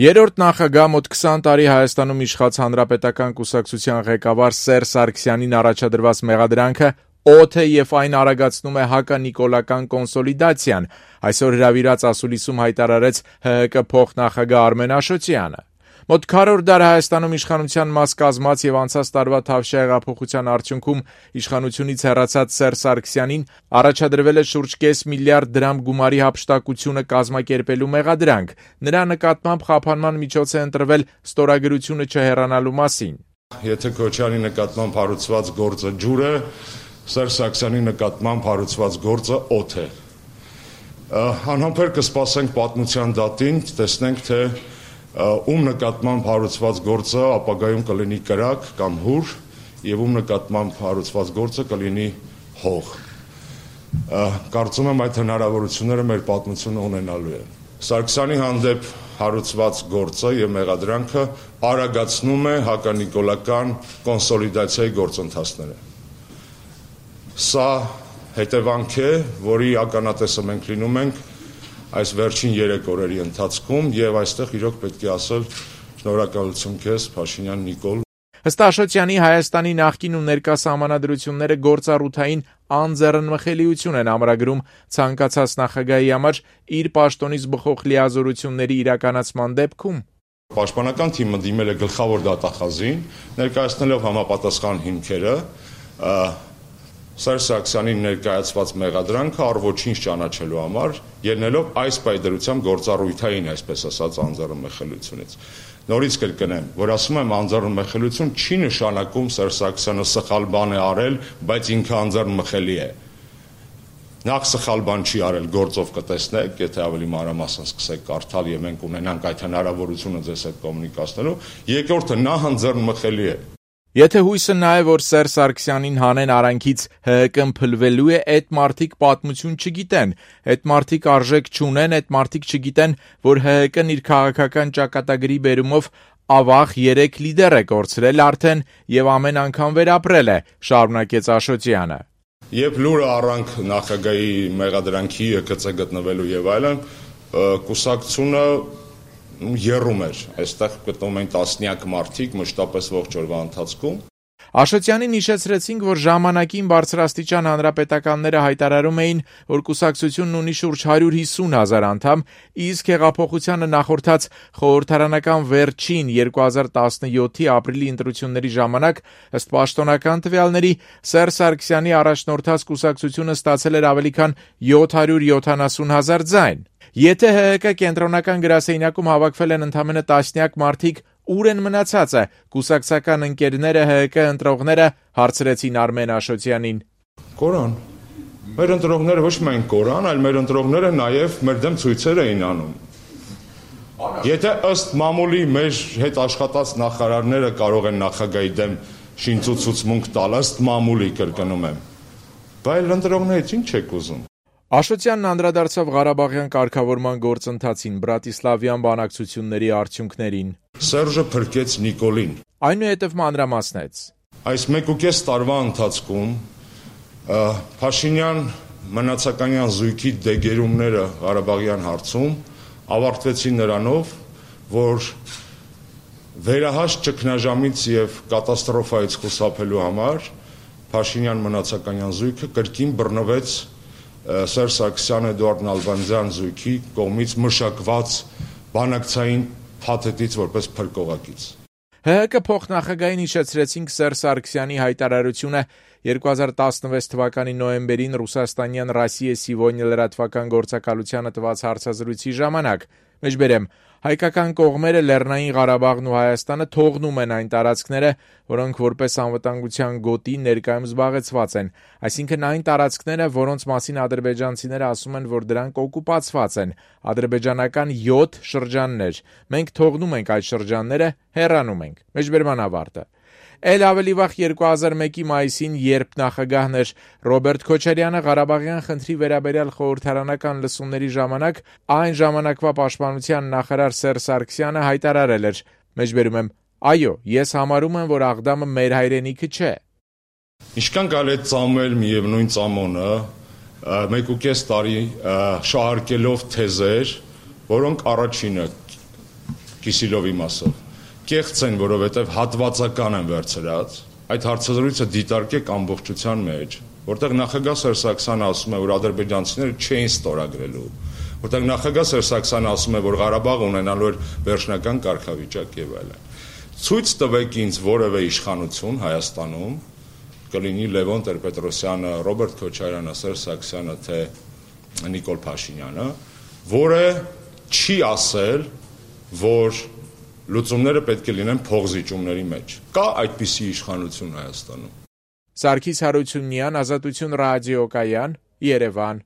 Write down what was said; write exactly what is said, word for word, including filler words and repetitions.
Երրորդ նախագահ մոտ քսան տարի Հայաստանում իշխած Հանրապետական կուսակցության ղեկավար Սերժ Սարգսյանին առաջադրված մեղադրանքը օդ է և այն արագացնում է հականիկոլական կոնսոլիդացիան, այսօր հրավիրած ասուլիսում հայտարարեց Հ Հ Կ փոխնախագահ Արմեն Աշոտյանը։ Մոտ քառորդ դար Հայաստանում իշխանության մաս կազմած և անցած տարվա Թավշյա հեղափոխության արդյունքում իշխանությունից հեռացած Սերժ Սարգսյանին առաջադրվել է շուրջ կես միլիարդ դրամ գումարի հափշտակությունը կազմակերպելու մեղադրանք, նրա նկատմամբ խափանման միջոց է ընտրվել ստորագրությունը չհեռանալու մասին։ Եթե Քոչարյանի նկատմամբ հարուցված գործը ջուր է, Սերժ Սարգսյանի նկատմամբ հարուցված գործը օդ է։ Անհամբեր կսպասենք պատմության դատին, տեսնենք թե ում նկատմամբ հարուցված գործը ապագայում կլինի կրակ կամ հուր եւ ում նկատմամբ հարուցված գործը կլինի հող։ Կարծում եմ այդ հնարավորությունները մեր պատմությունը ունենալու է։ Սարգսյանի հանդեպ հարուցված գործը եւ մեղադրանքը արագացնում է հականիկոլական կոնսոլիդացիայի գործընթացները։ Սա հետևանք է, որի ականատեսը մենք լինում ենք այս վերջին երեք օրերի ընթացքում եւ այստեղ իրոք պետք է ասել շնորհակալություն քեզ Փաշինյան Նիկոլ։ Ըստ Աշոտյանի Հայաստանի նախկին ու ներկա սահմանադրությունները գործառութային անձեռնմխելիություն են ամրագրում ցանկացած նախագահի համար իր պաշտոնից բխող լիազորությունների իրականացման դեպքում։ Պաշտպանական թիմը դիմել է գլխավոր դատախազին, ներկայացնելով համապատասխան հիմքերը, Սերժ Սարգսյանին ներկայացված մեղադրանքը առ ոչինչ ճանաչելու համար, ելնելով այս պայդրությամբ գործառույթային, այսպես ասած, անձեռնմխելիությունից։ Նորից կրկնեմ, որ ասում եմ անձեռնմխելիություն չի նշանակում Սերժ Սարգսյանը սխալ բան է արել, բայց ինքը անձեռնմխելի է։ Նախ սխալ բան չի արել, գործով կտեսնեք, եթե ավելի մանրամասն սկսեք կարդալ եւ մենք ունենանք այդ հնարավորությունը ձեզ հետ կոմունիկացնելու, երկրորդը նա անձեռնմխելի է։ Եթե հույսը նա է, որ Սերժ Սարգսյանին հանեն արանքից Հ Հ Կ-ն փլվելու է, այդ մարդիկ պատմություն չգիտեն, այդ մարդիկ արժեք չունեն, այդ մարդիկ չգիտեն, որ Հ Հ Կ-ն իր քաղաքական ճակատագրի բերումով ավաղ երեք լիդեր է կորցրել արդեն եւ ամեն անգամ վերապրել է, շարունակեց Աշոտյանը։ Երբ լուրը առանք նախագահի մեղադրանքի Հ Կ Ց գտնվելու եւ այլն, կուսակցությունը երում էր, այստեղ գտնում են տասնյակ մարդիկ մշտապես ողջ օրվա ընթացքում։ Աշոտյանին հիշեցրեցինք, որ ժամանակին բարձրաստիճան հանրապետականները հայտարարում էին, որ կուսակցությունն ունի շուրջ հարյուր հիսուն հազար անդամ, իսկ հեղափոխությանը նախորդած խորհրդարանական վերջին երկու հազար տասնյոթի ապրիլի ընտրությունների ժամանակ, ըստ պաշտոնական տվյալների, Սերժ Սարգսյանի առաջնորդած կուսակցությունը ստացել էր ավելի քան յոթ հարյուր յոթանասուն հազար ձայն։ Եթե Հ Հ Կ կենտրոնական գրասենյակում հավաքվել են ընդամենը տասնյակ մարդիկ, ուր են մնացածը, կուսակցական ընկերները, Հ Հ Կ ընտրողները, հարցրեցին Արմեն Աշոտյանին։ Կորան։ Մեր ընտրողները ոչ միայն կորան, այլ մեր ընտրողները նաև մեր դեմ ցույցեր էին անում։ Եթե ըստ մամուլի մեր հետ աշխատած նախարարները կարող են նախագահի դեմ շինծուցուցմունք տալ, ըստ մամուլի կրկնում եմ, բայց ընտրողներից ինչ եք ուզում։ Աշոտյանն անդրադարձավ Ղարաբաղյան կարգավորման գործընթացին, Բրատիսլավյան բանակցությունների արդյունքներին։ Սերժը փրկեց Նիկոլին։ Այնուհետև մանրամասնեց։ Այս մեկ ու կես տարվա ընթացքում Փաշինյան մնացականյան զույգի դեգերումները Ղարաբաղյան հարցում ավարտվեցին նրանով, որ վերահաշ ճգնաժամից եւ կատաստրոֆայից խուսափելու համար Փաշինյան մնացականյան զույգը կրկին բռնվեց Սերժ Սարգսյան Էդուարդ Նալբանդյան զույգի կողմից մշակված բանակցային փաթեթից որպես փրկողակից։ Հ Հ Կ փոխնախագահին հիշեցրեցինք Սերժ Սարգսյանի հայտարարությունը երկու հազար տասնվեց թվականի նոյեմբերին ռուսաստանյան Ռոսիե Սիվոնյա լրատվական գործակալությանը տված հարցազրույցի ժամանակ։ Մեջբերեմ, հայկական կողմերը Լեռնային Ղարաբաղն ու Հայաստանը թողնում են այն տարածքները, որոնք որպես անվտանգության գոտի ներկայում զբաղեցված են, այսինքն այն տարածքները, որոնց մասին ադրբեջանցիները ասում են, որ դրանք օկուպացված են, ադրբեջանական յոթ շրջաններ։ Մենք թողնում ենք այդ շրջանները, հեռանում ենք։ Մեջբերման ավարտը։ Էլ ավելի վաղ երկու հազար մեկի մայիսին, երբ նախագահն էր Ռոբերտ Քոչարյանը, Ղարաբաղյան խնդրի վերաբերյալ խորհրդարանական լսումների ժամանակ այն ժամանակվա պաշտպանության նախարար Սերժ Սարգսյանը հայտարարել էր. Մեջբերում եմ, այո, ես համարում եմ, որ Աղդամը մեր հայրենիքը չէ։ Ինչքան կարելի է ծամել միևնույն ծամոնը, մեկ ու կես տարի շահարկելով թեզեր, որոնք առաջինը Կիսիլովի մասով։ Կեղծ են, որովհետև հատվածական են վերցրած, այդ հարցազրույցը դիտարկեք ամբողջության մեջ, որտեղ նախագահ Սերժ Սարգսյանը ասում է, որ ադրբեջանցիները չէին ստորագրելու, որտեղ նախագահ Սերժ Սարգսյանը ասում է, որ Ղարաբաղը ունենալու էր վերջնական կարգավիճակ եւ այլն։ Ցույց տվեք ինձ որևէ իշխանություն Հայաստանում, կլինի Լևոն Տեր-Պետրոսյանը, Ռոբերտ Քոչարյանը, Սերժ Սարգսյանը, թե Նիկոլ Փաշինյանը, որը չի ասել, որ լուծումները պետք է լինեն փողզիջումների մեջ։ Կա այդպիսի իշխանություն Հայաստանում։ Սարգիս Հարությունյան, Ազատություն ռադիոկայան, Երևան։